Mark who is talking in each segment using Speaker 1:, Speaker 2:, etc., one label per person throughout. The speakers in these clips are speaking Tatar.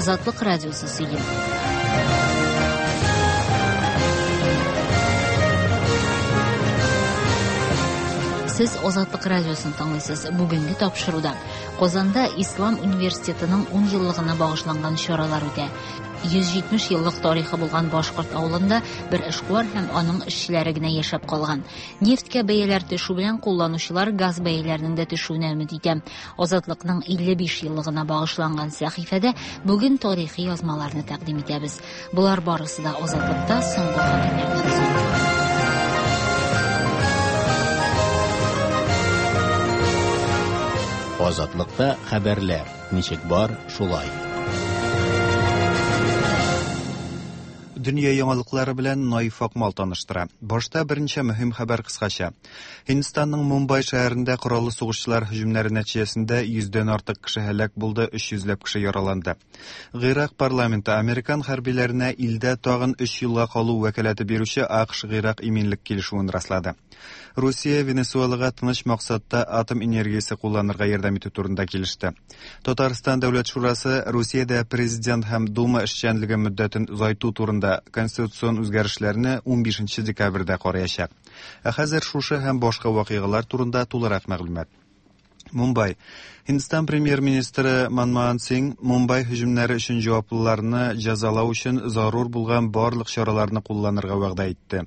Speaker 1: Азатлык радиосы сөйли. Сез Азатлык радиосын тыңлыйсыз. Бүгенге тапшыруда Казанда Ислам университетының 10 еллыгына багышланган чаралар үтә. 170 еллык тарихы булган башкорт авылында бер эшкуар һәм аның эшчеләре генә яшәп калган. Нефтькә бәяләр төшү белән кулланучылар газ бәяләренең дә төшүенә өмет итә. Азатлыкның 55 еллыгына багышланган сәхифәдә бүген тарихи язмаларны тәкъдим итәбез. Болар барысы да Азатлыкта соңгы хәбәрләрдән соң.
Speaker 2: Азатлыкта хәбәрләр ничек бар, шулай.
Speaker 3: Дөнья яңалыклары белән Наиф Акмал таныштыра. Башта берничә мөһим хәбәр кыскача. Һиндстанның Мумбай шәһәрендә кораллы сугышчылар һөҗүмнәре нәтиҗәсендә йөздән артык кеше һәлак булды, 300 ләп кеше яраланды. Гыйрак парламенты американ хәрбиләренә илдә тагын өч елга калу вәкаләте бирүче АКШ-Гыйрак иминлек килешүен раслады. Русия Венесуэлага тыныч максатта атом энергиясе кулланырга ярдәм итү турында килеште. Татарстан Дәүләт шурасы Русиядә президент һәм Дума эшчәнлеге мөддәтен озайту турында конституцион үзгәрешләрне 15 декабрьдә караячак. Ә хәзер шушы һәм башка вакыйгалар турында тулырак мәгълүмат. Мумбай. Һиндстан премьер-министры Манмохан Синг Мумбай һөҗүмнәре өчен җаваплыларны җәзалау өчен зарур булган барлык чараларны кулланырга вәгъдә итте.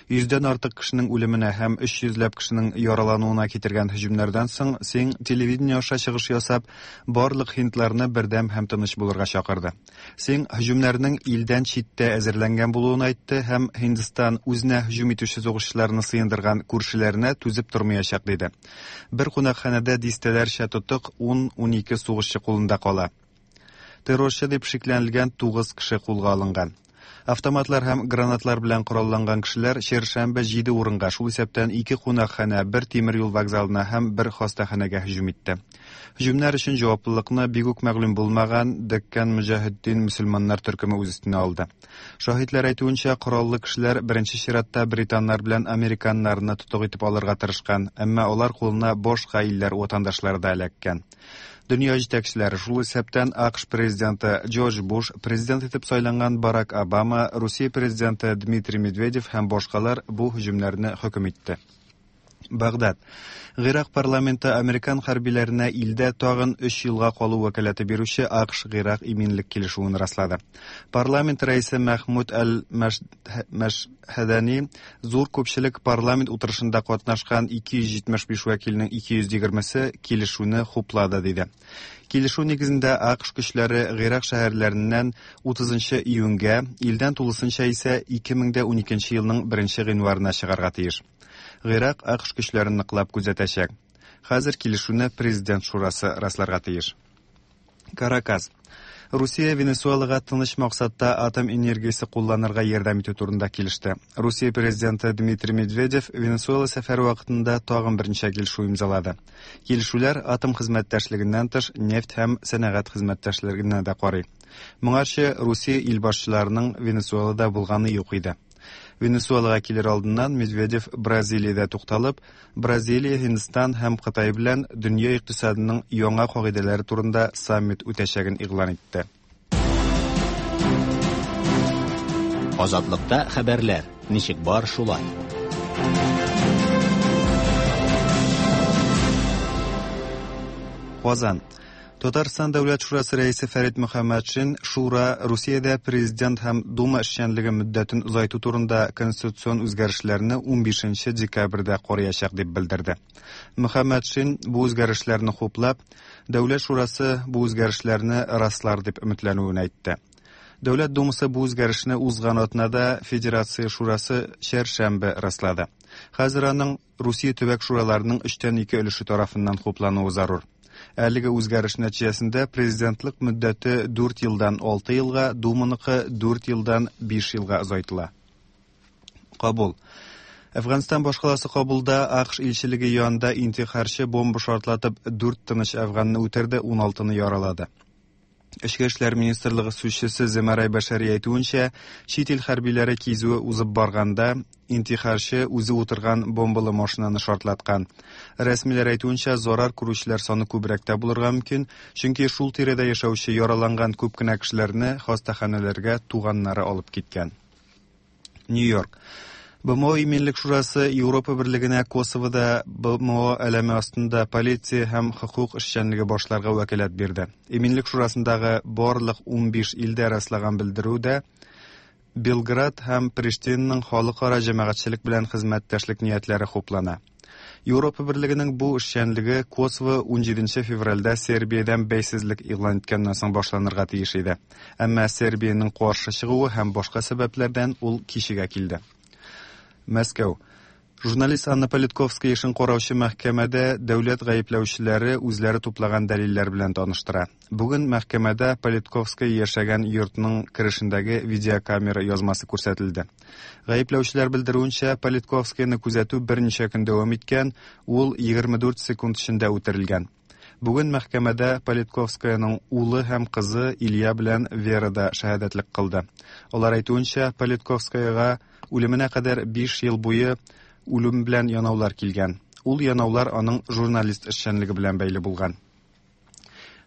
Speaker 3: Йөздән артык кешенең үлеменә һәм 300 ләп кешенең яралануына китергән һөҗүмнәрдән соң Синг телевидение аша чыгыш ясап, барлык һиндларны бердәм һәм тыныч булырга чакырды. Синг һөҗүмнәрнең илдән читтә әзерләнгән булуын әйтте һәм Һиндстан үзенә һөҗүм итүче сугышчыларны сыендырган күршеләренә түзеп тормаячак диде. Бер кунакханәдә дистәләрчә тотык 10-12 сугышчы кулында кала. Террорчы дип шикләнелгән 9 кеше кулга алынган. Автоматлар һәм гранатлар белән коралланган кешеләр чәршәмбе җиде урынга, шул исәптән ике кунакханә, бер тимер юл вокзалына һәм бер хастаханәгә һөҗүм итте. Һөҗүмнәр өчен җаваплылыкны бик үк мәгълүм булмаган Деккан Мөҗаһетдин мөселманнар төркеме үз өстенә алды. Шаһитләр әйтүенчә, кораллы кешеләр беренче чиратта британнар белән американнарны тотык итеп алырга тырышкан, әмма алар кулына башка илләр ватандашлары да эләккән. Дөнья җитәкчеләре, шул исәптән АКШ президенты Джордж Буш, президент итеп сайланган Барак Обама, Русия президенты Дмитрий Медведев һәм башкалар бу һөҗүмнәрне хөкем итте. Багдад. Гыйрак парламенты американ хәрбиләренә илдә тагын өч елга калу вәкаләте бирүче АКШ-Гыйрак иминлек килешүен раслады. Парламент рәисе Мәхмүд әл-Мәшһәдәни зур күпчелек парламент утырышында катнашкан 275 вәкилнең 220-се килешүне хуплады, диде. Килешү нигезендә АКШ көчләре Гыйрак шәһәрләреннән 30 июньгә, илдән тулысынча исә 2012 елның 1 гыйнварына чыгарга тиеш. Гыйрак АКШ көчләрен ныклап күзәтәчәк. Хәзер килешүне президент шурасы расларга тиеш. Каракас. Русия Венесуэлага тыныч максатта атом энергиясе кулланырга ярдәм итү турында килеште. Русия президенты Дмитрий Медведев Венесуэла сәфәре вакытында тагын берничә килешү имзалады. Килешүләр атом хезмәттәшлегеннән тыш нефть һәм сәнәгать хезмәттәшлегенә дә карый. Моңарчы Русия илбашчыларының Венесуэлада булганы юк иде. Венесуэлага килер алдыннан Медведев Бразилиядә тукталып, Бразилия, Һиндстан һәм Кытай белән дөнья икътисадының яңа кагыйдәләре турында саммит үтәчәген игълан итте.
Speaker 2: Азатлыкта хәбәрләр ничек бар шулай.
Speaker 3: Казан. Татарстан Дәүләт шурасы рәисе Фәрит Мөхәммәтшин Шура Русиядә президент һәм Дума эшчәнлеге мөддәтен озайту турында конституцион үзгәрешләрне 15 декабрьдә караячак дип белдерде. Мөхәммәтшин бу үзгәрешләрне хуплап, Дәүләт шурасы бу үзгәрешләрне раслар дип өметләнүен әйтте. Дәүләт Думасы бу үзгәрешне узган атнада Федерация шурасы чәршәмбе раслады. Хәзер аның Русия төбәк шураларының өчтән ике өлеше тарафыннан хуплануы зарур. Әлеге үзгәреш нәтиҗәсендә президентлык мөддәте 4 елдан 6 елга, Думаныкы 4 елдан 5 елга озайтыла. Кабул. Әфганстан башкаласы Кабулда АКШ илчелеге янында интихарчы бомба шартлатып 4 тыныч әфганны үтерде, 16-ны яралады. Эчке эшләр министрлыгы сүзчесе Земарай Бәшәри әйтүенчә, чит ил хәрбиләре кизүе узып барганда, интихарчы үзе утырган бомбалы машинаны шартлаткан. Рәсмиләр әйтүенчә, зарар күрүчеләр саны күбрәк тә булырга мөмкин, чөнки шул тирәдә яшәүче яраланган күп кенә кешеләрне хастаханәләргә туганнары алып киткән. Нью-Йорк. БМО Иминлек шурасы Европа берлегенә Косовода БМО әләме астында полиция һәм хокук эшчәнлеге башларга вәкаләт бирде. Иминлек шурасындагы барлык 15 илдә раслаган белдерүдә Белград һәм Приштинаның халыкара җәмәгатьчелек белән хезмәттәшлек ниятләре хуплана. Европа берлегенең бу эшчәнлеге Косово 17 февральдә Сербиядән бәйсезлек игълан иткәннән соң башланырга тиеш иде. Әмма Сербиянең каршы чыгуы һәм башка сәбәпләрдән ул кичегә килде. Мәскәү. Журналист Анна Политковская эшен караучы мәхкәмәдә дәүләт гаепләүчеләре үзләре туплаган дәлилләр белән таныштыра. Бүген мәхкәмәдә Политковская яшәгән йортның керешендәге видеокамера язмасы күрсәтелде. Гаепләүчеләр белдерүенчә, Политковскаяны күзәтү берничә көн дәвам иткән, ул 24 секунд эчендә үтерелгән. Бүген мәхкәмәдә Политковскаяның улы һәм кызы Илья белән Вера да шәһадәтлек кылды. Алар әйтүенчә, Политковскаяга үлеменә кадәр 5 ел буе үлем белән янаулар килгән. Ул янаулар аның журналист эшчәнлеге белән бәйле булган.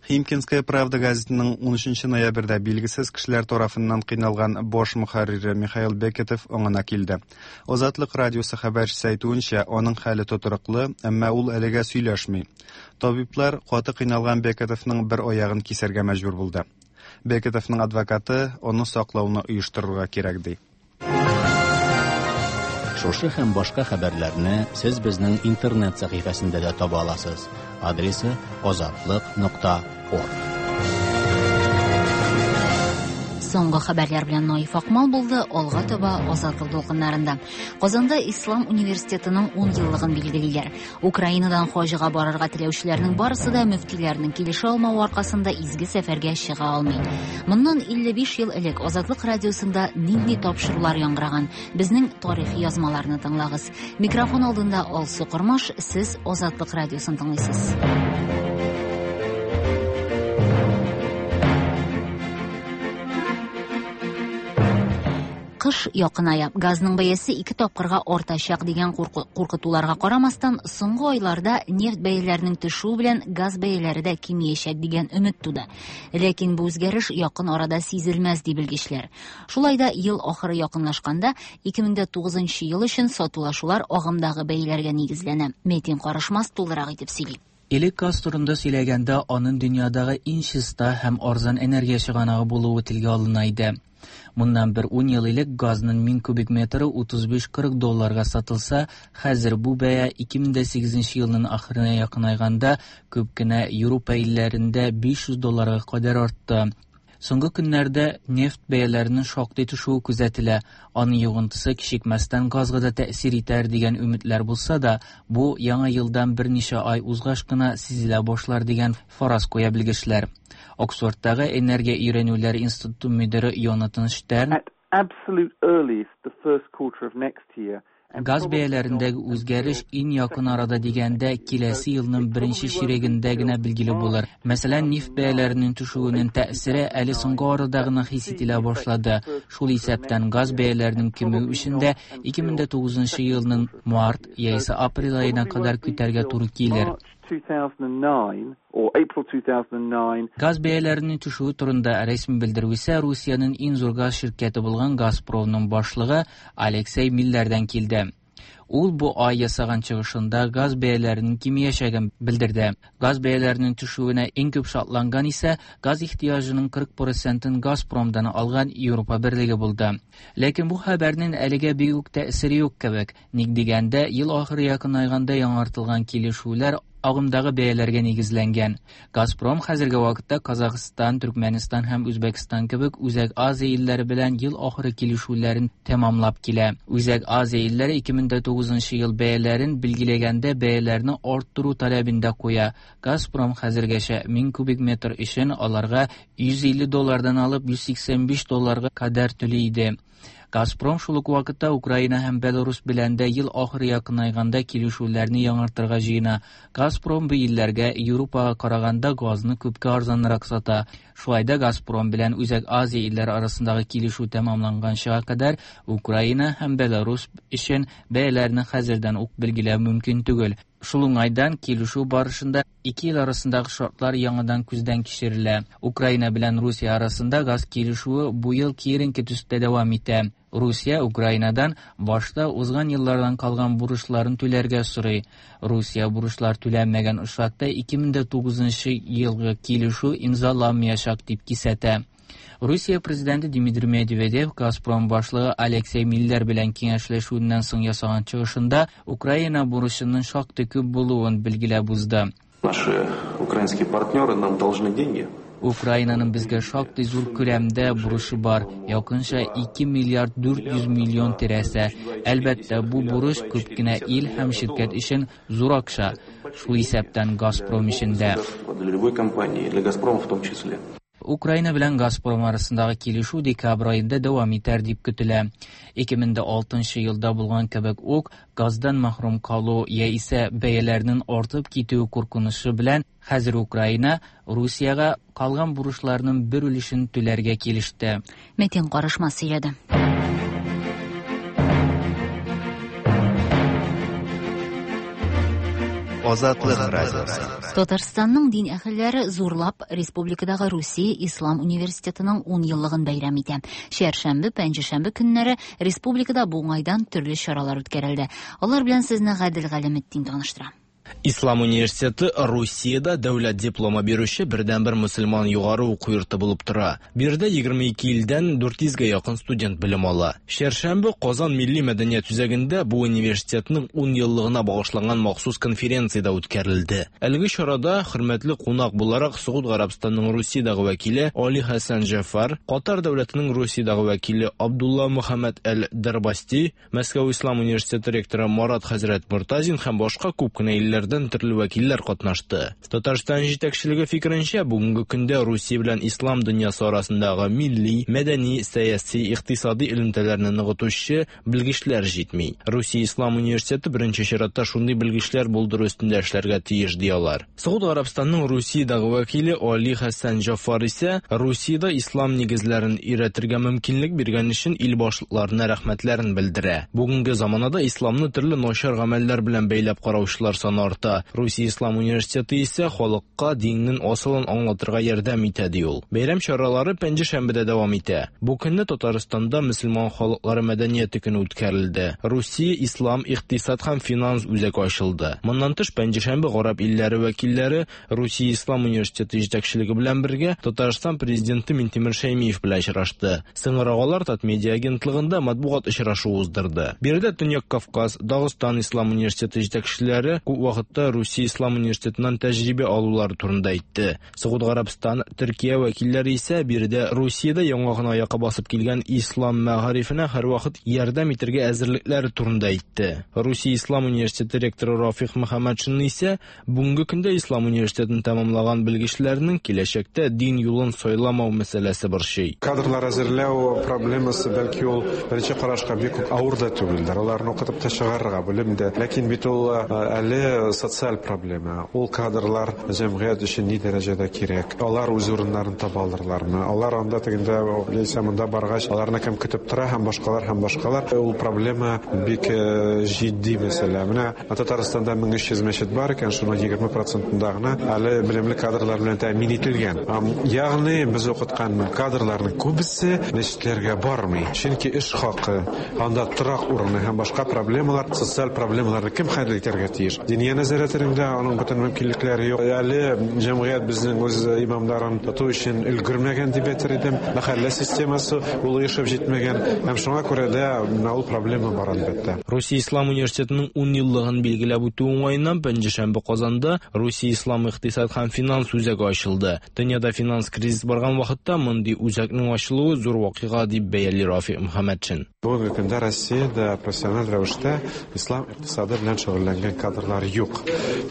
Speaker 3: Химкинская правда газетының 13 ноябрьдә билгесез кешеләр тарафыннан кыйналган баш мөхәррире Михаил Бекетов аңына килде. Азатлык радиосы хәбәрчесе әйтүенчә, аның хәле тотрыклы, әмма ул әлегә сөйләшми. Табиблар каты кыйналган Бекетовның бер аягын кисәргә мәҗбүр булды. Бекетовның адвокаты аны саклауны оештырырга кирәк ди.
Speaker 2: Шушы һәм башка хәбәрләрне сез безнең интернет сәхифәсендә дә таба аласыз. Адресы azatliq.org.
Speaker 1: Соңгы хәбәрләр белән Наиф Акмал булды. Алга таба Азатлык дулкыннарында. Казанда Ислам университетының 10 еллыгын билгелиләр. Украинадан хаҗга барырга теләүчеләрнең барысы да мөфтиләрнең килешә алмавы аркасында изге сәфәргә чыга алмый. Моннан 55 ел элек Азатлык радиосында нинди тапшырулар яңгыраган? Безнең тарихи язмаларны тыңлагыз. Микрофон алдында Алсу Кормаш, сез Азатлык радиосын тыңлыйсыз. Кыш якыная. Газның бәясе 2 тапкырга артачак дигән куркытуларга карамастан, соңгы айларда нефть бәяләренең төшүе белән газ бәяләре дә кимиячәк дигән өмет туды. Ләкин бу үзгәреш якын арада сизелмәс ди белгечләр. Шулай да ел ахыры якынлашканда 2009 ел өчен сатулашулар агымдагы бәяләргә нигезләнә. Метин Карышмас тулырак итеп сөйли.
Speaker 4: Элек газ турында сөйләгәндә аның дөньядагы иң чиста һәм арзан энергия чыганагы булуы телгә алына иде. Моннан бер 10 ел элек газның 1000 кубик метры 35-40 долларга сатылса, хәзер бу бәя 2008 елның ахырына якынайганда күп кенә Европа илләрендә 500 долларга кадәр артты. Соңгы көннәрдә нефть бәяләренең шактый төшүе күзәтелә. Аның йогынтысы кичекмәстән газга да тәэсир итәр дигән өметләр булса да, бу яңа елдан берничә ай узгач кына сизелә башлар дигән фараз куя белгечләр. Оксфордтагы энергия өйрәнүләр институты мөдире Йонатан Штерн
Speaker 5: At absolute earliest, the first quarter of next year.
Speaker 4: Газ бәяләрендәге үзгәреш иң якын арада дигәндә киләсе елның беренче чирегендә генә билгеле булыр. Мәсәлән, нефть бәяләренең төшүенең тәэсире әле соңгы арада гына хис ителә башлады. Шул исәптән газ бәяләренең кимүе өчен дә 2009 елның март яисә апрель аена кадәр көтәргә туры килер.
Speaker 5: 2009 or April 2009.
Speaker 4: Газ бәяләренең төшүе турында рәсми белдерү исә Русиянең иң зур газ ширкәте булган Газпромның башлыгы Алексей Миллердән килде. Ул бу ай ясаган чыгышында газ бәяләренең кимиячәген белдерде. Газ бәяләренең төшүенә иң күп шатланган исә газ ихтыяҗының 40%-ын Газпромдан алган Европа берлеге булды. Ләкин бу хәбәрнең әлегә бик үк тәэсире юк кебек. Ник дигәндә, ел ахыры якынайганда яңартылган килешүләр агымдагы бәяләргә нигезләнгән. Газпром хәзерге вакытта Казахстан, Төркмәнстан һәм Үзбәкстан кебек Үзәк Азия илләре белән ел ахыры килешүләрен тәмамлап килә. Үзәк Азия илләре 2009 ел бәяләрен билгеләгәндә бәяләрне арттыру таләбен дә куя. Газпром хәзергәчә 1000 кубик метр өчен аларга 150 доллардан алып 185 долларга кадәр түли иде. Газпром шул ук вакытта Украина һәм Беларус белән дә ел ахыры якынайганда килешүләрне яңартырга җыена. Газпром бу илләргә Европага караганда газны күпкә арзанрак сата. Шулай да Газпром белән Үзәк Азия илләре арасындагы килешү тәмамланганчыга кадәр Украина һәм Беларус өчен бәяләрне хәзердән үк билгеләү мөмкин түгел. Шул уңайдан килешү барышында ике ил арасындагы шартлар яңадан күздән кичерелә. Украина белән Русия арасында газ килешүе бу ел киеренке төстә дәвам итә. Русия Украинадан башта узган еллардан калган бурычларын түләргә сорый. Русия бурычлар түләнмәгән очракта 2009 елгы килешү имзаланмаячак дип кисәтә. Русия президенты Дмитрий Медведев Газпром башлыгы Алексей Миллер белән киңәшләшүеннән соң ясаган чыгышында Украина бурычының шактый күп булуын билгеләп узды.
Speaker 6: Наши украинские партнеры нам должны деньги.
Speaker 4: Украинаның безгә шактый зур күләмдә бурычы бар, якынча 2 миллиард 400 миллион тирәсе. Әлбәттә, бу бурыч күп кенә ил һәм ширкәт өчен зур акча, шул исәптән Газпром өчен дә.
Speaker 6: Для любой компании, для Газпрома в том числе.
Speaker 4: Украина белән Газпром арасындагы килешү декабрь аенда дәвам итәр дип көтелә. 2006 елда булган кебек үк, газдан мәхрүм калу яисә бәяләрнең артып китүе куркынычы белән хәзер Украина Русиягә калган бурычларның бер өлешен түләргә килеште.
Speaker 1: Мәтин Карышмас сөйләде.
Speaker 3: Азатлык радиосы.
Speaker 1: Татарстанның дин әһелләре зурлап республикадагы Русия Ислам университетының 10 еллыгын бәйрәм итә. Чәршәмбе, пәнҗешәмбе көннәре республикада бу уңайдан төрле чаралар үткәрелде. Алар белән сезне Гадел Галәметдин таныштыра.
Speaker 7: Ислам университеты Русиядә дәүләт дипломы бирүче бердәнбер мөселман югары уку йорты булып тора. Биредә 22 илдән 400гә якын студент белем ала. Чәршәмбе Казан милли мәдәният үзәгендә бу университетның 10 еллыгына багышланган махсус конференция дә үткәрелде. Әлеге чарада хөрмәтле кунак буларак Согуд Гарәбстанының Русиядәге вәкиле Али Хәсән Җәфар, Катар дәүләтенең Русиядәге вәкиле Абдулла Мөхәммәд әл-Дәрбасти, Мәскәү Ислам университеты ректоры Марат хәзрәт Мортазин һәм башка күп кенә илләрдән төрле вәкилләр катнашты. Татарстан җитәкчелеге фикеренчә, бүгенге көндә Русия белән ислам дөньясы арасындагы милли, мәдәни, сәяси, икътисади элемтәләрне ныгытучы белгечләр җитми. Русия Ислам университеты беренче чиратта шундый белгечләр булдыру өстендә эшләргә тиеш, ди алар. Согуд Гарәбстанының Русиядәге вәкиле Али Хәсән Җафар исә Русиядә ислам нигезләрен өйрәтергә мөмкинлек биргән өчен ил башлыкларына рәхмәтләрен белдерә. Бүгенге заманада исламны төрле начар гамәлләр белән бәйләп караучылар саны арта. Русия Ислам университеты исә халыкка диннең асылын аңлатырга ярдәм итә, ди ул. Бәйрәм чаралары пәнҗешәмбедә дәвам итә. Бу көнне Татарстанда мөселман халыклары мәдәнияте көне үткәрелде. Русия Ислам икътисад һәм финанс үзәге ачылды. Моннан тыш пәнҗешәмбе гарәп илләре вәкилләре Русия Ислам университеты җитәкчелеге белән бергә Татарстан президенты Минтимер Шәймиев белән очрашты. Соңрак алар Татмедиа агентлыгында матбугат очрашуы уздырды. Биредә Төньяк Кавказ, Дагыстан Ислам университеты җитәкчеләре күп вакытта Русия Ислам университетыннан тәҗрибә алулары турында әйтте. Согуд Гарәбстан, Төркия вәкилләре исә биредә Русиядә яңа гына аякка басып килгән ислам мәгарифенә һәрвакыт ярдәм итәргә әзерлекләре турында әйтте. Русия Ислам университеты ректоры Рафик Мөхәммәтшин исә бүгенге көндә Ислам университетын тәмамлаган белгечләрнең киләчәктә дин юлын сайламау мәсьәләсе борчый.
Speaker 8: Кадрлар әзерләү проблемасы бәлки ул беренче карашка бик үк авыр да түгелдер. Аларны укытып та чыгарырга белем дә. Ләкин бит ул әле социаль проблема. Ул кадрлар җәмгыять өчен ни дәрәҗәдә кирәк? Алар үз урыннарын таба алырлармы? Алар анда тегендә яисә монда баргач, аларны кем көтеп тора һәм башкалар һәм башкалар. Ул проблема бик җитди мәсьәлә. Менә Татарстанда 1300 мәчет бар икән, шуның 20%-ында гына әле белемле кадрлар белән тәэмин ителгән. Ягъни без укыткан кадрларның күбесе мәчетләргә бармый. Чөнки эш хакы, анда торак урыны һәм башка проблемалар, социаль проблемаларны кем хәл итәргә тиеш? Диния нәзарәтенең дә аның бөтен мөмкинлекләре юк. Әле җәмгыять безнең үз имамнарын тоту өчен өлгермәгән дип әйтер идем. Мәхәллә системасы ул оешып җитмәгән. Һәм шуңа күрә дә менә ул проблема бар әлбәттә.
Speaker 7: Русия Ислам университетының 10 еллыгын билгеләп үтү уңаеннан пәнҗешәмбе Казанда Русия Ислам икътисад һәм финанс үзәге ачылды. Дөньяда финанс кризис барган вакытта мондый үзәкнең ачылуы зур вакыйга дип бәяли Рафик Мөхәммәтшин.
Speaker 8: Бүгенге көндә Россиядә профессиональ рәвештә ислам икътисады белән шөгыльләнгән кадрлар юк. юк.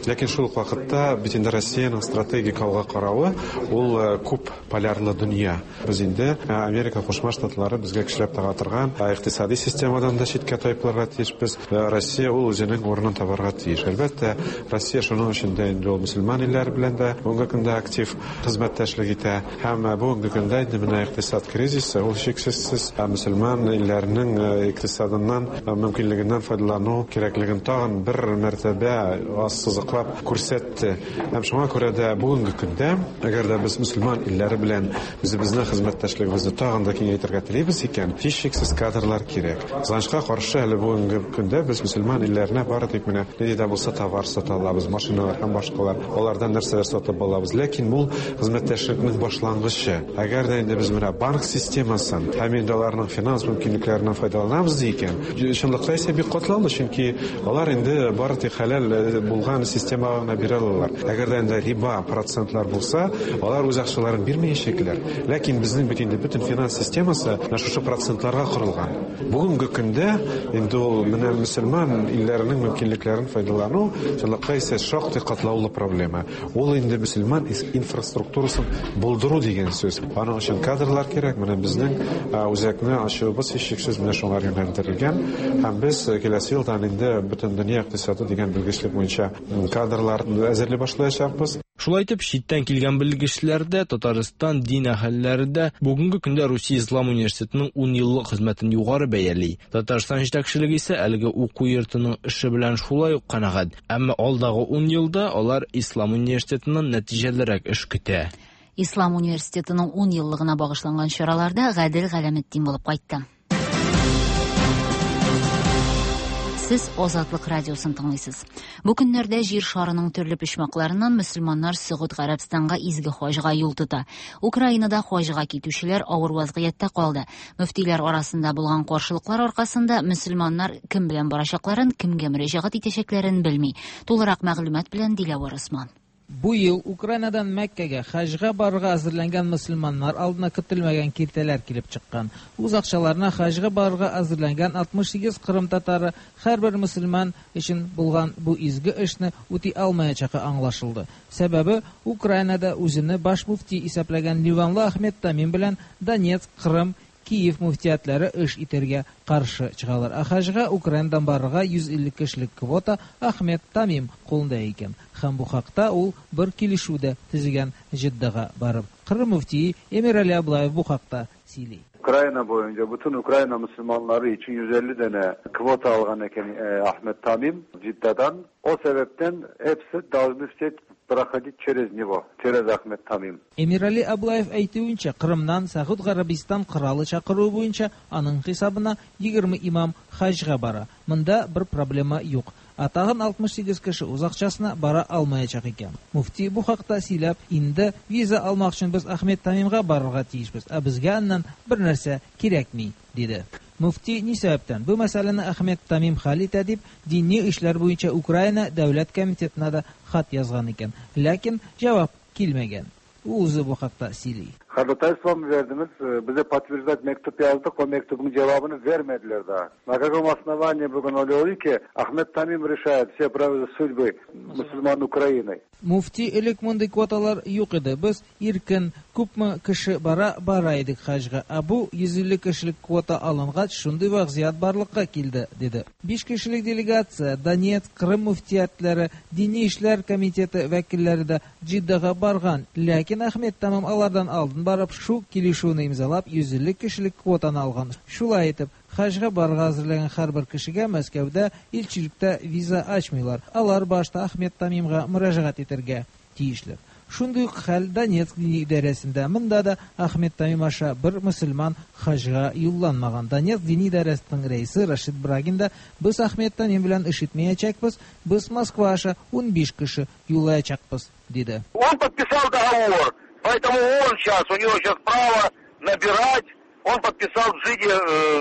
Speaker 8: Ләкин шул ук вакытта бит инде Россиянең стратегик алга каравы ул күп полярлы дөнья. Без инде Америка Кушма Штатлары безгә көчләп тага торган икътисади системадан да читкә тайпылырга тиешбез. Россия ул үзенең урынын табарга тиеш. Әлбәттә, Россия шуның өчен дә инде ул мөселман илләре белән дә бүгенге көндә актив хезмәттәшлек итә. Һәм бүгенге көндә инде менә икътисад кризисы, ул шиксез мөселман илләренең икътисадыннан мөмкинлегеннән файдалану кирәклеген тагын бер мәртәбә ассызыклап күрсәтте. Һәм шуңа күрә дә бүгенге көндә, әгәр дә без мөселман илләре белән үзебезнең хезмәттәшлегебезне тагын да киңәйтергә телибез икән, һичшиксез кадрлар кирәк. Кызганычка каршы, әле бүгенге көндә без мөселман илләренә бары тик менә нинди дә булса товар сата алабыз, машиналар һәм башкалар, алардан нәрсәләр сатып алабыз. Ләкин бу хезмәттәшлекнең башлангычы. Әгәр дә инде без менә банк системасын һәм инде аларның финанс мөмкинлекләреннән файдаланабыз икән, чынлыкта исә бик катлаулы, чөнки алар инде бары тик хәләл булган системага гына бирә алалар. Әгәр дә инде риба процентлар булса, алар үз акчаларын бирмәячәкләр. Ләкин безнең бит инде бөтен финанс системасы менә шушы процентларга корылган. Бүгенге көндә инде ул менә мөселман илләренең мөмкинлекләрен файдалану чынлыкта исә шактый катлаулы проблема. Ул инде мөселман инфраструктурасын булдыру дигән сүз. Аның өчен кадрлар кирәк. Менә безнең үзәкне ачуыбыз һичшиксез менә шуңар юнәлдерелгән. Һәм без киләсе елдан инде бөтен дөнья икътисады дигән белгечлек буенча кадрлар әзерли башлаячакбыз.
Speaker 7: Шулай итеп, читтән килгән белгечләр дә, Татарстан дин әһелләре дә бүгенге көндә Русия Ислам университетының 10 еллык хезмәтен югары бәяли. Татарстан җитәкчелеге исә әлеге уку йортының эше белән шулай ук канәгать. Әмма алдагы 10 елда алар Ислам университетыннан нәтиҗәлерәк эш көтә.
Speaker 1: Ислам университетының 10 еллыгына багышланган чараларда Гадел Галәметдин булып кайтты. Сез Азатлык радиосын тыңлыйсыз. Бу көннәрдә җир шарының төрле почмакларыннан мөселманнар Сөгуд Гарәбстанга изге хаҗга юл тота. Украинада хаҗга китүчеләр авыр вазгыятьтә калды. Мөфтиләр арасында булган каршылыклар аркасында мөселманнар кем белән барачакларын, кемгә мөрәҗәгать итәчәкләрен белми. Тулырак мәгълүмат белән Диләвар Усман.
Speaker 9: Бу ел Украинадан Мәккәгә хаҗга барырга әзерләнгән мөселманнар алдына көтелмәгән киртәләр килеп чыккан. Үз акчаларына хаҗга барырга әзерләнгән 68 кырым татары һәрбер мөселман өчен булган бу изге эшне үти алмаячагы аңлашылды. Сәбәбе Украинада үзене баш муфти исәпләгән Ливанлы Ахмед Тамим белән Донецк, Кырым, Киев муфтиятләре эш итәргә каршы чыгалар. Ә хаҗга Украинадан барырга 150 кешелек квота Ахмед Тамим кулында икән. Һәм бу хакта ул бер килешү дә төзегән Җиддага барып. Кырым муфтие Эмирали Аблаев бу хакта сөйли.
Speaker 10: Ukrayna boyunca bütün Ukrayna Müslümanları için 150 tane kvota algan eken Ahmet Tamim Cidda'dan. O sebepten hepsi должны все проходить через него, через Ахмед Тамим.
Speaker 9: Эмирали Аблаев әйтүенчә, Кырымнан Сәгуд Гарәбистан коралы чакыруы буенча аның хисабына 20 имам хаҗга бара. Монда бер проблема юк. Ә тагын 68 кеше үз акчасына бара алмаячак икән. Муфти бу хакта сөйләп, инде виза алмак өчен без Ахмед Тамимга барырга тиешбез, ә безгә аннан бер нәрсә кирәкми, диде. Муфти ни сәбәптән бу мәсьәләне Ахмед Тамим хәл итә дип, дини эшләр буенча Украина дәүләт комитетына да хат язган икән. Ләкин җавап килмәгән. Ул үзе бу хакта сөйли.
Speaker 10: Ходатайство mı verdiniz? Bize подтверждать mektup yazdık. O mektubun cevabını vermediler daha. На каком основании bugün oluyor ki Ahmet Tamim решает все судьбы мусульман Украины?
Speaker 9: Муфти элек мондый квоталар юк иде. Без иркен күпме кеше бара бара идек хаҗга. Ә бу 150 кешелек квота алынгач, шундый вазгыять барлыкка килде, диде. 5 кешелек делегация Донецк, Крым муфтиятләре, Дини эшләр комитеты вәкилләре дә Җиддага барган. Ләкин Ахмед Тамим алардан алдын барып шу килешүне имзалап 150 кешелек квотаны алган. Шулай итеп, хаҗга барырга әзерләгән һәрбер кешегә Мәскәүдә илчелектә виза ачмыйлар. Алар башта Ахмед Тамимга мөрәҗәгать итәргә тиешләр. Шундый ук хәл Донецк дини идарәсендә. Монда да Ахмед Тамим аша бер мөселман хаҗга юлланмаган. Донецк дини идарәсенең рәисе Рашид Брагин да без Ахмед Тамим белән эш итмәячәкбез, без Москва аша 15 кеше юллаячакбыз, диде.
Speaker 11: Он подписал договор. Поэтому он сейчас, у него сейчас право набирать, он подписал в Джиде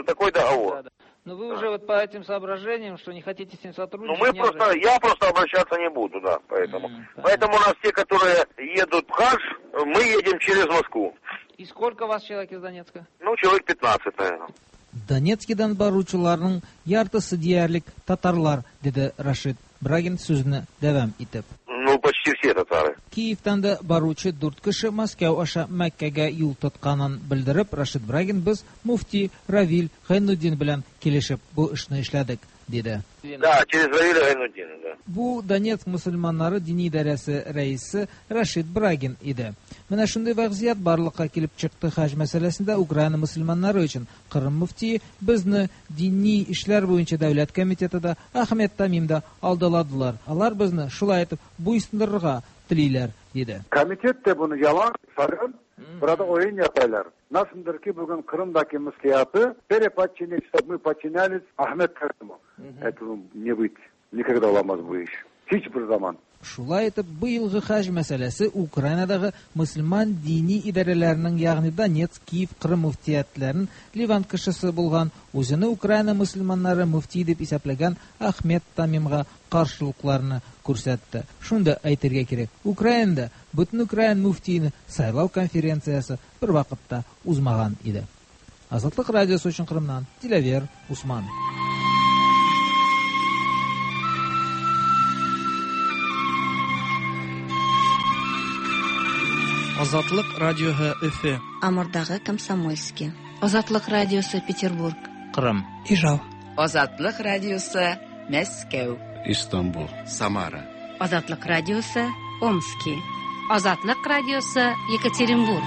Speaker 11: такой договор.
Speaker 9: Да, да. Но вы уже вот по этим соображениям, что не хотите с ним сотрудничать...
Speaker 11: Ну мы просто, я просто обращаться не буду, да, поэтому. Поэтому у нас те, которые едут в хадж, мы едем через Москву.
Speaker 9: И сколько вас человек из Донецка?
Speaker 11: Ну, человек 15, наверное.
Speaker 9: Донецкидан баручыларның яртысы диярлек татарлар, диде Рашид Брагин сүзне дәвам итеп.
Speaker 11: Ну, почти все татары.
Speaker 9: Киевтан да баручы дүрт кеше Мәскәү аша Мәккәгә юл тотканын белдереп, Рашид Брагин без муфти Равил Гайнутдин белән килешеп бу эшне эшләдек, диде.
Speaker 11: Да, через Равиля Гайнутдина, да.
Speaker 9: Бу Донецк мөселманнары дини идарәсе рәисе Рашид Брагин иде. Менә шундый вәзгыять барлыкка килеп чыкты хаҗ мәсьәләсендә Украина мөселманнары өчен. Кырым мөфтие безне дини эшләр буенча дәүләт комитеты да, Ахмед Тамим да алдаладылар. Алар безне шулай итеп буйсындырырга телиләр, диде.
Speaker 10: Комитет de bunu yalan sakın. Burada oyun yaparlar. Nasıldır ki bugün Kırım'daki müftiyatı переподчинить, чтобы мы подчинялись Ахмед Кариму. Этого не быть. Никогда olamaz bu iş. Hiçbir zaman.
Speaker 9: Шулай итеп, быелгы хаҗ мәсьәләсе Украинадагы мөселман дини идарәләренең, ягъни Донецк, Киев, Кырым мөфтиятләрен Ливан кешесе булган, үзене Украина мөселманнары мөфти дип исәпләгән Ахмед Тамимга каршылыкларны күрсәтте. Шунда әйтергә кирәк, Украинада бөтен украин мөфтиен сайлау конференциясе бер вакытта узмаган иде. Азатлык радиосы өчен Кырымнан Диләвер Усман.
Speaker 12: Азатлык радиоһы Өфе.
Speaker 13: Амурдагы Комсомольский. Азатлык радиосы Петербург.
Speaker 4: Кырым.
Speaker 12: Ижау.
Speaker 14: Азатлык радиосы Мәскәү.
Speaker 15: Истанбул. Самара.
Speaker 16: Азатлык радиосы Омски. Азатлык радиосы Екатеринбург.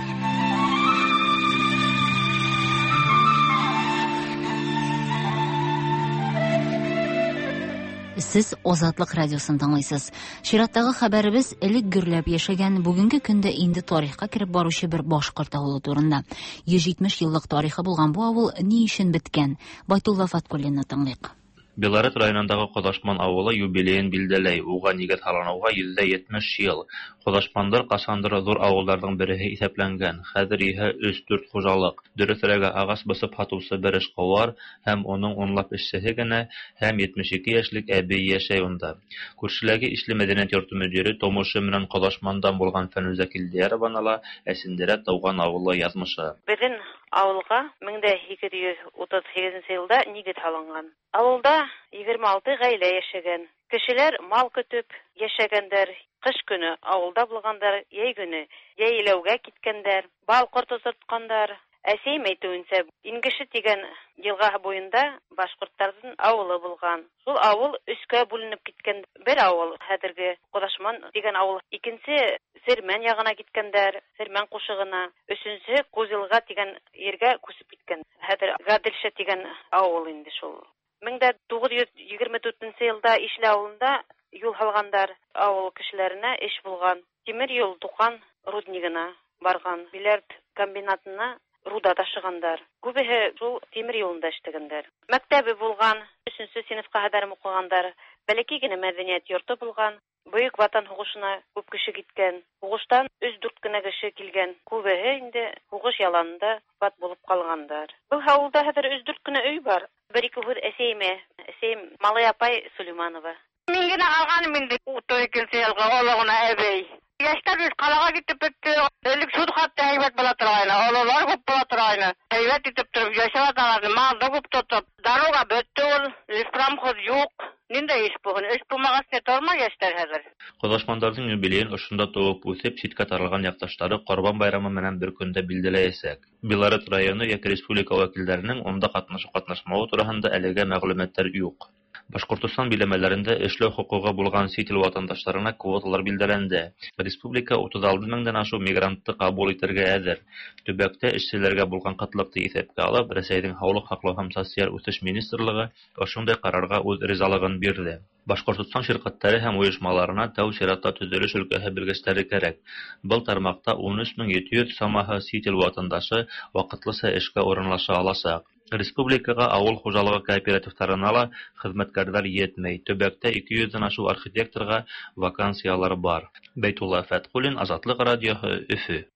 Speaker 1: Сез Азатлык радиосын тыңлыйсыз. Чираттагы хәбәребез элек гөрләп яшәгән, бүгенге көндә инде тарихка кереп баручы бер башкорт авылы турында. 170 еллык тарихы булган бу авыл ни өчен беткән? Байтулла Фаткуллинны тыңлыйк.
Speaker 17: Белорет районындагы Кодашман авылы юбилеен билдәләй, уга нигез һалынуга 170 ел. Кодашмандар кашандыр зур авылларның береһе исәпләнгән. Хәзер иһә 3-4 хуҗалык. Дөресрәге, агач басып һатучы бер эшкуар һәм уның унлап эшчеһе генә һәм 72 яшьлек әби яшәй унда. Күршеләге Ишле мәдәният йорты мөдире тумышы менән Кодашмандан булган Фәнүзә Килдиярова ла әсендерә туган авылы язмышы.
Speaker 18: Безнең авылга 1838 елда нигез һалынган. Авылда 26 гаилә яшәгән. Кешеләр мал көтеп яшәгәндәр. Кыш көне авылда булгандар, йәй көне йәйләүгә киткәндәр, бал корты тоткандар. Әсәйем әйтүенчә, Ингеше дигән елга буенда башкортларның авылы булган. Шул авыл өскә бүленеп киткән. Бер авыл хәзерге Кодашман дигән авыл, икенче Сермән ягына киткәндәр, Сермән кушыгына, өченче Кузилга дигән җиргә күчеп киткән. Хәзер Гаделша дигән авыл инде шул. 1924 елда Ишле авылында юл һалгандар, авыл кешеләренә эш булган. Тимер юл Туган руднигына барган, Биләрд комбинатына руда ташыгандар. Күбеһе шул тимер юлында эшләгәндәр. Мәктәбе булган, 3нче сыйныфка кадәр укыгандар. Бәләкәй генә мәдәният йорты булган. Бөек Ватан һугышына күп кеше киткән. Һугыштан 3-4 кенә кеше килгән. Күбеһе инде һугыш яланында вафат булып калгандар. Был авылда хәзер 3-4 кенә өй бар. Бер-ике һүҙ әсәйемә. Әсәйем Малай апай Сулейманова.
Speaker 19: Мин генә калганым инде 32 елга олы гына әбей. Яшьтәр бит ҡалаға китеп бөттө. Элек шул хатта һәйбәт була торғайны, ололар күп була торғайны. Һәйбәт итеп тороп йәшәп яталар, малды күп тотоп. Дорога бөттө ул, леспромхоз юҡ. Ниндәй эш булһын? Эш булмағас не тормай йәштәр хәҙер.
Speaker 17: Ҡоҙашмандарҙың юбилейын ошонда тыуып үҫеп, ситкә таралған яҡташтары Ҡорбан байрамы менән бер көндә билдәләйәсәк. Белорет районы йәки республика вәкилдәренең унда ҡатнашыу-ҡатнашмауы тураһында әлегә мәғлүмәттәр юҡ. Башҡортостан биләмәләрендә эшләү хоҡуғы булған сит ил ватандаштарына квоталар билдәләнде. Республика 36 меңдән ашыу мигрантты ҡабул итергә әҙер. Төбәктә эшселәргә булған ҡытлыҡты иҫәпкә алып, Рәсәйҙең һаулыҡ һаҡлау һәм социаль үҫеш министрлығы ошондай ҡарарға үҙ ризалығын бирҙе. Башҡортостан ширҡәттәре һәм ойошмаларына тәү сиратта төҙөлөш өлкәһе белгестәре кәрәк. Был тармаҡта 13 700 самаһы сит ил ватандашы ваҡытлыса эшкә урынлаша аласаҡ. Республикаға ауыл хужалығы кооперативтарына ла хеҙмәткәрҙәр етмәй. Төбәктә 200-дән ашыу архитекторға вакансиялар бар. Бәйтулла Фәтҡуллин, Азатлыҡ радиоһы, Өфө.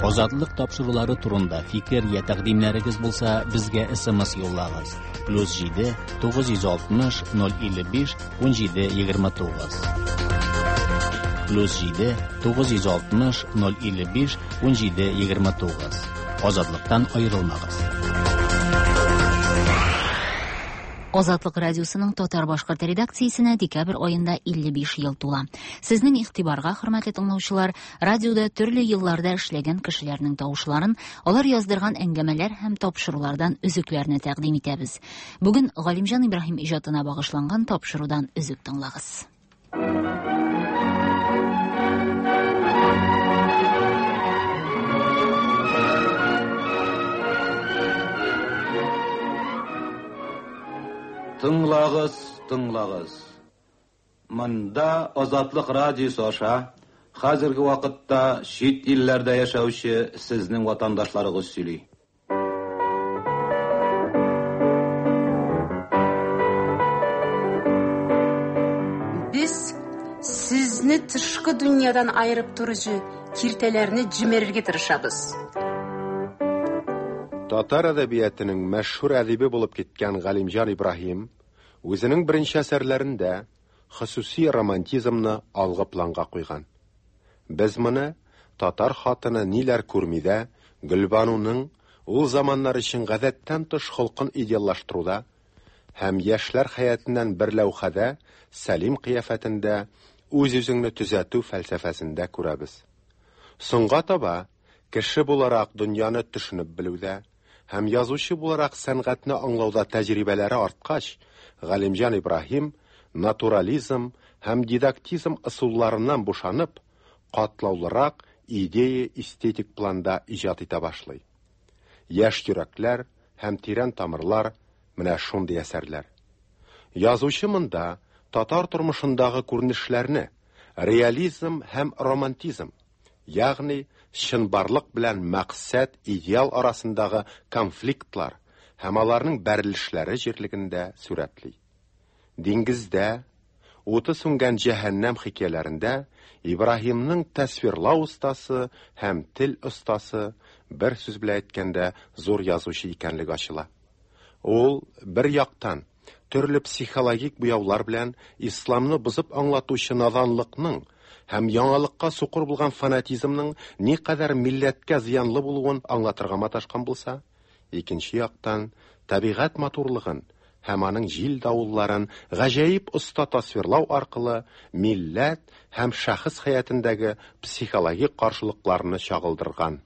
Speaker 2: Азатлык тапшырулары турында фикер я тәкъдимнәрегез булса, безгә SMS юллагыз. +7 960 055 17 29. +7 960 055 17 29. Азатлыктан аерылмагыз.
Speaker 1: Азатлык радиосының татар-башкорт редакциясенә декабрь аенда 55 ел тула. Сезнең игътибарга, хөрмәтле тыңлаучылар, радиода төрле елларда эшләгән кешеләрнең тавышларын, алар яздырган әңгәмәләр һәм тапшырулардан өзекләрне тәкъдим итәбез. Бүген Галимҗан Ибраһим иҗатына багышланган тапшырудан өзек тыңлагыз.
Speaker 10: Тыңлагыз, тыңлагыз. Монда Азатлык радиосы аша хәзерге вакытта чит илләрдә яшәүче сезнең ватандашларыгыз сөйли.
Speaker 16: Без сезне тышкы дөньядан аерып торучы киртәләрне җимерергә тырышабыз.
Speaker 20: Татар әдәбиятының мәшһүр әдибе булып киткән Галимҗан Ибраһим үзенең беренче әсәрләрендә хосуси романтизмны алгы планга куйган. Без моны Татар хатыны ниләр күрмидә Гөлбануның ул заманнар өчен гадәттән тыш холкын идеаллаштыруда һәм яшьләр хәятыннан бер ләүхәдә Сәлим кыяфәтендә үз-үзеңне төзәтү фәлсәфәсендә күрәбез. Соңга таба кеше буларак дөньяны төшенеп белүдә һәм язучы буларак сәнгатьне аңлауда тәҗрибәләре арткач, Галимҗан Ибраһим натурализм һәм дидактизм ысулларыннан бушанып, катлаулырак идея-эстетик планда иҗат итә башлый. Яшь йөрәкләр һәм тирән тамырлар менә шундый әсәрләр. Язучы монда татар тормышындагы күренешләрне реализм һәм романтизм, ягъни чынбарлык белән максат, идеал арасындагы конфликтлар һәм аларның бәрелешләре җирлегендә сурәтли. Диңгездә, уты сүнгән җәһәннәм хикәяләрендә Ибраһимның тасвирлау остасы һәм тел остасы, бер сүз белән әйткәндә, зур язучы икәнлеге ачыла. Ул бер яктан төрле психологик буяулар белән исламны бозып аңлатучы наданлыкның һәм яңалыкка сукыр булган фанатизмның никадәр милләткә зыянлы булуын аңлатырга маташкан булса, икенче яктан табигать матурлыгын һәм аның җил давылларын гаҗәеп оста тасвирлау аркылы милләт һәм шәхес хәятендәге психологик каршылыкларны чагылдырган.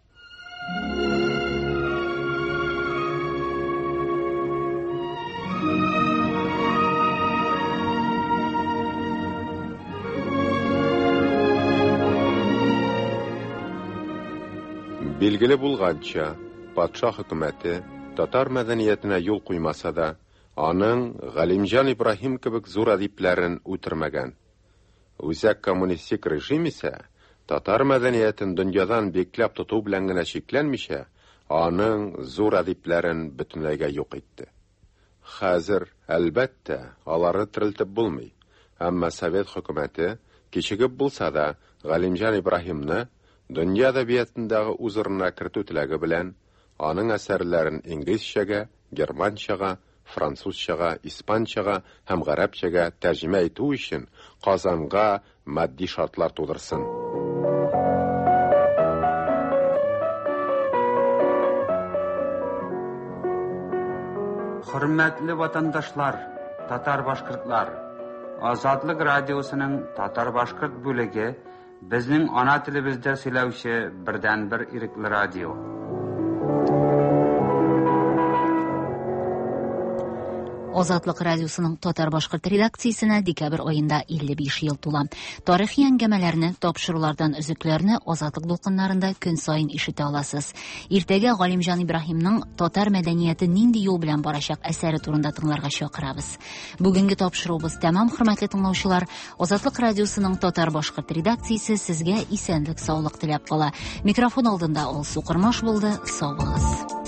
Speaker 20: Билгеле булганча, патша хөкүмәте татар мәдәниятенә юл куймаса да, аның Галимҗан Ибраһим кебек зур әдипләрен үтермәгән. Үзәк коммунистик режим исә татар мәдәниятен дөньядан бикләп тоту белән генә чикләнмичә, аның зур әдипләрен бөтенләйгә юк итте. Хәзер, әлбәттә, аларны терелтеп булмый. Әмма Совет хөкүмәте, кичегеп булса да, Галимҗан Ибраһимны дөнья әдәбиятындагы үз урынына кертү теләге белән, аның әсәрләрен инглизчәгә, германчага, французчага, испанчага һәм гарәпчәгә тәрҗемә итү өчен Казанга матди шартлар тудырсын.
Speaker 21: Хөрмәтле ватандашлар, татар-башкортлар! Азатлык радиосының татар-башкорт бүлеге безнең ана телебездә сөйләүче бердәнбер ирекле радио.
Speaker 1: Азатлык радиосының татар-башкорт редакциясенә декабрь аенда 55 ел тула. Тарихи әңгәмәләрне, тапшырулардан өзекләрне Азатлык дулкыннарында көн саен ишетә аласыз. Иртәгә Галимҗан Ибраһимның Татар мәдәнияте нинди юл белән барачак әсәре турында тыңларга чакырабыз. Бүгенге тапшыруыбыз тәмам, хөрмәтле тыңлаучылар. Азатлык радиосының татар-башкорт редакциясе сезгә исәнлек, саулык теләп кала. Микрофон алдында Алсу Кормаш булды. Сау булыгыз.